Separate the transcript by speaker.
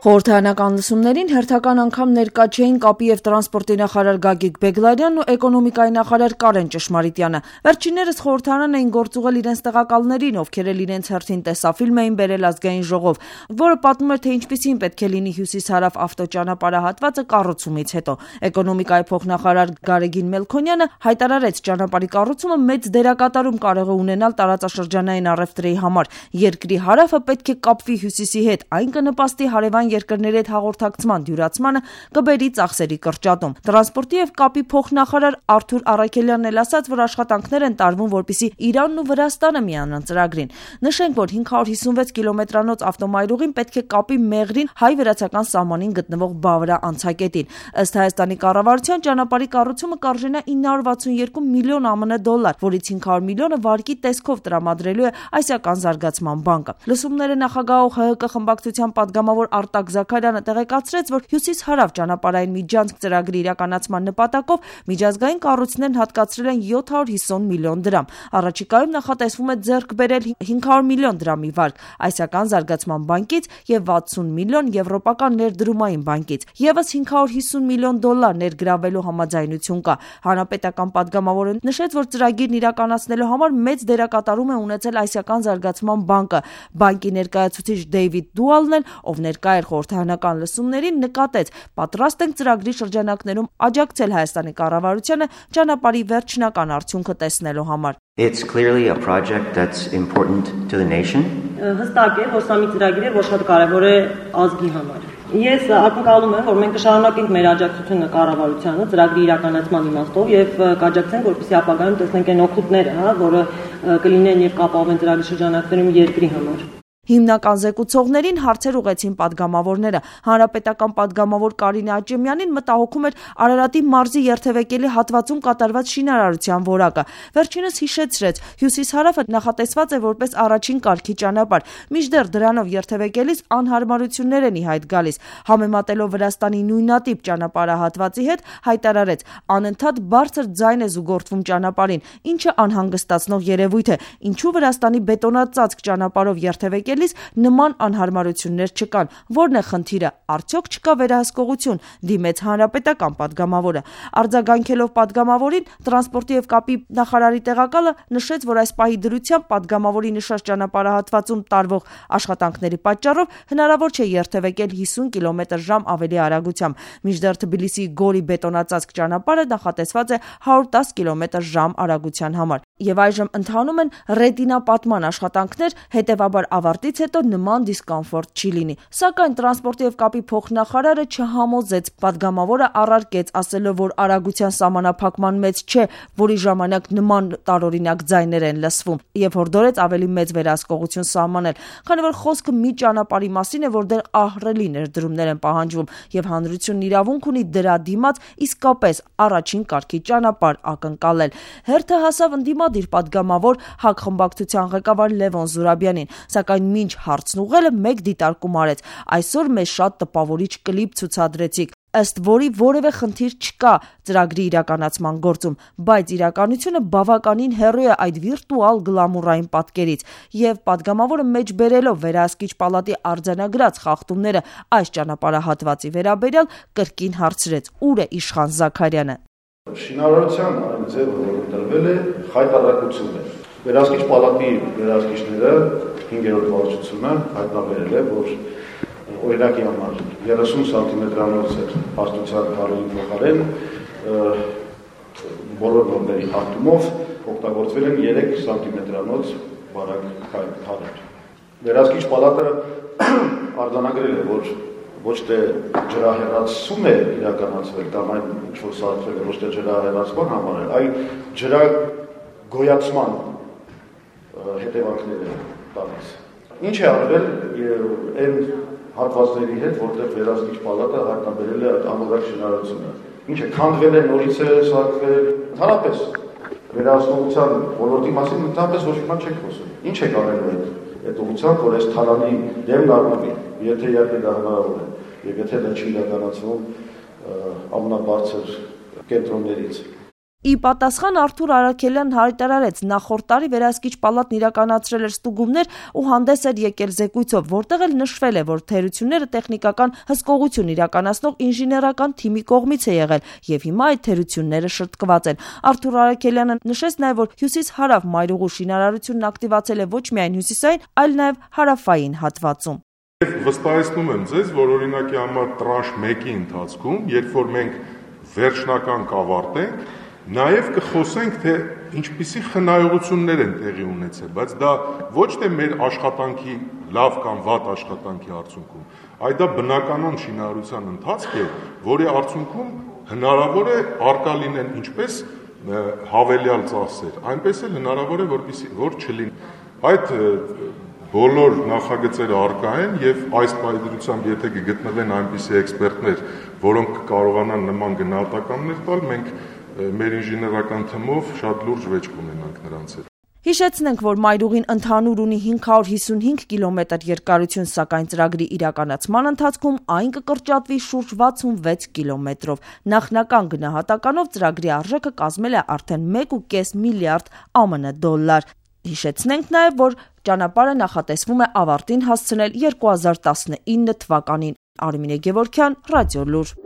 Speaker 1: Խորհրդարանական լսումներին հերթական անգամ ներկա չէին կապի և տրանսպորտի նախարար Գագիկ Բեգլարյանն ու էկոնոմիկայի նախարար Կարեն Ճշմարիտյանը։ Վերջիններս խորհրդարան էին գործուղել իրենց տեղակալներին, ովքեր էլ իրենց հերթին տեսաֆիլմ էին բերել Ազգային ժողով, որը պատմում էր, թե ինչպիսին պետք է լինի հյուսիս-հարավ ավտոճանապարհահատվածը կառուցումից հետո։ Էկոնոմիկայի փոխնախարար Գարեգին Մելքոնյանը հայտարարեց, ճանապարհի կառուցումը մեծ դերակատարում կարող է ունենալ տարածաշրջանային առևտրի համար։ Երկրի հարավը պետք է կապվի հյուսիսի հետ, այն կնպաստի հարևան երկրների հետ հաղորդակցման դյուրացմանը, կբերի ծախսերի կրճատում։ Տրանսպորտի և կապի փոխնախարար Արթուր Առաքելյանն էլ ասաց, որ աշխատանքներ են տարվում, որպեսզի Իրանն ու Վրաստանը միանան ծրագրին։ Նշենք, որ 556 կիլոմետրանոց ավտոմայրուղին պետք է կապի Մեղրին հայ-վրացական սահմանին գտնվող Բավրա անցակետին։ Ըստ Հայաստանի կառավարության, ճանապարհի կառուցումը կարժենա 962 միլիոն ԱՄՆ դոլար, որից 500 միլիոնը վարկի տեսքով տրամադրելու է Ասիական զարգացման բանկը։ Լսումները նախագահող ՀՀԿ խմբակցության պատգամավոր Արտակ Զաքարյանը տեղեկացրեց, որ հյուսիս-հարավ ճանապարհային միջանցք ծրագրի իրականացման նպատակով միջազգային կառույցներն հատկացրել են 750 միլիոն դրամ։ Առաջիկայում նախատեսվում է ձեռք բերել 500 միլիոն դրամի վարկ Ասիական զարգացման բանկից և 60 միլիոն եվրոպական ներդրումային բանկից։ Եվս 550 միլիոն դոլար ներգրավելու համաձայնություն կա։ Հանրապետական պատգամավորը նշեց, որ ծրագիրն իրականացնելու համար մեծ դերակատարում է ունեցել Ասիական զարգացման բանկը։ Բանկի ներկայացուցիչ Դեյվիդ Դուալն էլ, ով ներկա էր խորհրդարանական լսումներին, նկատեց, պատրաստ ենք ծրագրի շրջանակներում աջակցել Հայաստանի կառավարությանը ճանապարհի վերջնական արդյունքը տեսնելու համար։
Speaker 2: It's clearly a project that's important to the nation.
Speaker 3: Հստակ է, որ սա մի ծրագիր է, որ շատ կարևոր է ազգի համար։ Ես ակնկալում եմ, որ մենք կշարունակենք մեր աջակցությունը կառավարությանը ծրագրի իրականացման իմաստով եւ կաջակցենք, որպեսզի ապագայում տեսնենք այն օգուտները, որը կլինեն եւ կապահովեն ծրագրի շրջանակներում երկրի համար։
Speaker 1: Հիմնական զեկուցողներին հարցեր ուղղեցին պատգամավորները։ Հանրապետական պատգամավոր Կարինե Աճեմյանին մտահոգում էր Արարատի մարզի երթևեկելի հատվածում կատարված շինարարության որակը։ Վերջինս հիշեցրեց, հյուսիս-հարավը նախատեսված է որպես առաջին կարգի ճանապարհ, մինչդեռ դրանով երթևեկելիս անհարմարություններ են ի հայտ գալիս։ Համեմատելով Վրաստանի նույնատիպ ճանապարհահատվածի հետ, հայտարարեց, անընդհատ բարձր ձայն է զուգորդվում ճանապարհին, ինչը անհանգստացնող երևույթ է։ Ինչու Վրաստանի բետոնացածկ ճանապարհով երթևեկել նման անհարմարություններ չկան, որն է խնդիրը, արդյոք չկա վերահսկողություն, դիմեց հանրապետական պատգամավորը։ Արձագանքելով պատգամավորին, տրանսպորտի և կապի նախարարի տեղակալը նշեց, որ այս պահի դրությամբ պատգամավորի նշած ճանապարհահատվածում տարվող աշխատանքների պատճառով հնարավոր չէ երթևեկել 50 կմ/ժ ավելի արագությամբ, մինչդեռ Թբիլիսի Գորի բետոնացածկ ճանապարհը նախատեսված է 110 կմ/ժ արագության համար։ Եվ այժմ ընթանում են ռետինապատման աշխատանքներ, հետևաբար ավարտից հետո նման դիսկոմֆորտ չի լինի։ Սակայն տրանսպորտի և կապի փոխնախարարը չհամոզեց, պատգամավորը առարկեց, ասելով, որ արագության սահմանափակման մեջ չէ, որի ժամանակ նման տարօրինակ ձայներ են լսվում, եւ հորդորեց ավելի մեծ վերահսկողություն սահմանել, քանի որ խոսքը մի ճանապարհի մասին է, որ դեռ ահռելի ներդրումներ են պահանջվում, եւ հանրությունն իրավունք ունի դրա դիմաց իսկապես առաջին կարգի ճանապարհ ակնկալել։ Հերթը հասավ ընդդիմադիր պատգամավոր ՀԱԿ խմբակցության ղեկավար Լևոն Զուրաբյանին, սակայն մինչ հարցն ուղղելը մեկ դիտարկում արեց։ Այսօր մեզ շատ տպավորիչ կլիպ ցուցադրեցիք, ըստ որի որևէ խնդիր չկա ծրագրի իրականացման գործում, բայց իրականությունը բավականին հեռու է այդ վիրտուալ գլամուրային պատկերից, եւ պատգամավորը մեջբերելով վերահսկիչ պալատի արձանագրած խախտումները այս ճանապարհահատվածի վերաբերյալ կրկին հարցրեց. ուր է Իշխան Զաքարյանը։
Speaker 4: Շինարարության այն ձևը, որը տրվել է, խայտառակություն է։ Վերահսկիչ պալատի վերահսկիչները 5-րդ վարչությունը հայտնաբերել է, որ օրինակի համար 30 սանտիմետրանոց հաստության քարերի փոխարեն բոլոր նորմերի հատումով օգտագործվել են 3 սանտիմետրանոց բարակ քարեր։ Վերահսկիչ պալատը արձանագրել է, որ ոչ թե ջրահեռացում է իրականացվել կամ այն ինչ-որ սարքվել է ոչ թե ջրահեռացման համար, այլ ջրագոյացման հետևանքներ է տալիս։ Ինչ է արվել այն հատվածների հետ, որտեղ վերահսկիչ պալատը հայտնաբերել է այդ ամենակ շինարարությունը։ Ինչ է, քանդվել է, նորից է սարքվել, ընդհանրապես վերահսկողության ոլորտի մասին ընդհանրապես ոչ մի բան չեք խոսում։ Ինչ է կարելու այդ ուղղությամբ, որ այս թալանի դեմն առնվի, եթե իհարկե դա հնարավոր է, եւ եթե դա չի իրականացվում ամենաբարձր կենտրոններից։
Speaker 1: Ի պատասխան Արթուր Արաքելյանն հայտարարեց, նախորդ տարի վերահսկիչ պալատն իրականացրել էր ստուգումներ ու հանդես էր եկել զեկույցով, որտեղ էլ նշվել է, որ թերությունները տեխնիկական հսկողություն իրականացնող ինժեներական թիմի կողմից է եղել եւ հիմա այդ թերությունները շրջկված են։ Արթուր Արաքելյանը նշեց նաեւ, որ հյուսիս-հարավ մայրուղու շինարարությունն ակտիվացել է ոչ միայն հյուսիսային, այլ նաեւ հարավային հատվածում։
Speaker 5: Եվ վստահեցնում եմ ձեզ, որ օրինակի համար տրանշ 1-ի ընթացքում, երբ որ մենք վերջնական կավարտենք, նաև կխոսենք, թե ինչպիսի խնայողություններ են տեղի ունեցել, բայց դա ոչ թե մեր աշխատանքի լավ կամ վատ աշխատանքի արդյունքում, այլ դա բնականon շինարարության ընթացք է, որի արդյունքում հնարավոր է առկա լինեն ինչպես հավելյալ ծախսեր, այնպես էլ հնարավոր է, որ չլինի։ Այդ բոլոր նախագծերը առկա են եւ այս պայմանությամբ եթե կգտնվեն այնպիսի էքսպերտներ, որոնք կկարողանան նման գնահատականներ տալ, մենք մեր ինժեներական թմով շատ լուրջ վեճ կունենանք նրանց հետ։
Speaker 1: Հիշեցնենք, որ մայրուղին ընդհանուր ունի 555 կիլոմետր երկարություն, սակայն ծրագրի իրականացման ընթացքում այն կկրճատվի շուրջ 66 կիլոմետրով։ Նախնական գնահատականով ծրագրի արժեքը կազմել է արդեն 1.5 միլիարդ ԱՄՆ դոլար։ Հիշեցնենք նաև, որ ճանապարհը նախատեսվում է ավարտին հասցնել 2019 թվականին։ Արմինե Գևորգյան, Ռադիոլուր։